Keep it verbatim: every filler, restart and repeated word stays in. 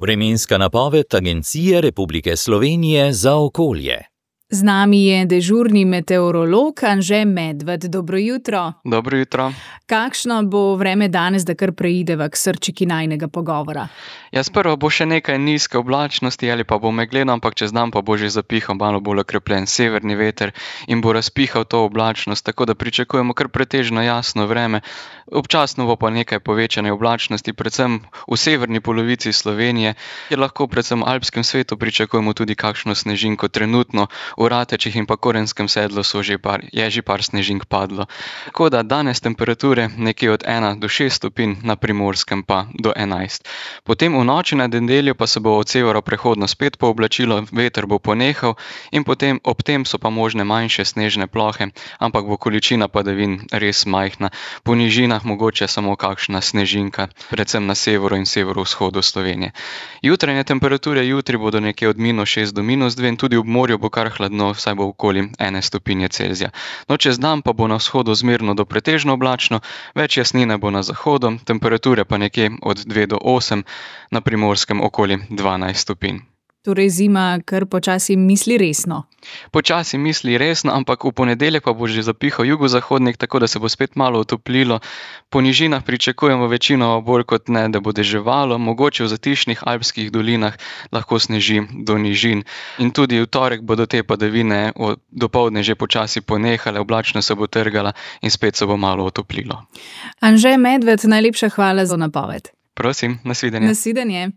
Vremenska napoved Agencije Republike Slovenije za okolje. Z nami je dežurni meteorolog Anže Medved. Dobro jutro. Dobro jutro. Kakšno bo vreme danes, da kar preideva k srčiki najinega pogovora? Ja, sprva bo še nekaj nizke oblačnosti ali pa bo megleno, ampak čez dan pa bo že zapihal malo bolj okrepljen severni veter in bo razpihal to oblačnost, tako da pričakujemo kar pretežno jasno vreme. Občasno bo pa nekaj povečane oblačnosti, predvsem v severni polovici Slovenije, kjer lahko predvsem v alpskem svetu pričakujemo tudi kakšno snežinko. Trenutno v Ratečih in pa Korenskem sedlu so že par, je že par snežink padlo. Tako da danes temperature nekje od ena do šest stopinj, na Primorskem pa do enajst. Potem v noči na nedeljo pa se bo od severa prehodno spet pooblačilo, veter bo ponehal in potem ob tem so pa možne manjše snežne plohe, ampak bo količina padavin res majhna. Po nižinah mogoče samo kakšna snežinka, predvsem na severu in severovzhodu Slovenije. Jutranje temperature jutri bodo nekje od minus šest do minus dve in tudi ob morju bo kar hladno, vsaj bo okoli ene stopinje Celzija. No, čez dan pa bo na vzhodu zmerno do pretežno oblačno, več jasnine bo na zahodu, temperature pa nekje od dve do osem, na Primorskem okoli dvanajst stopinj. Torej zima kar počasi misli resno. Počasi misli resno, ampak v ponedeljek pa bo že zapihal jugozahodnik, tako da se bo spet malo otoplilo. Po nižinah pričakujemo večino bolj kot ne, da bo deževalo, mogoče v zatišnih alpskih dolinah lahko sneži do nižin. In tudi v torek bodo te padavine dopoldne že počasi ponehale, oblačno se bo trgala in spet se bo malo otoplilo. Anže Medved, najlepša hvala za napoved. Prosim, nasvidenje. Nasvidenje.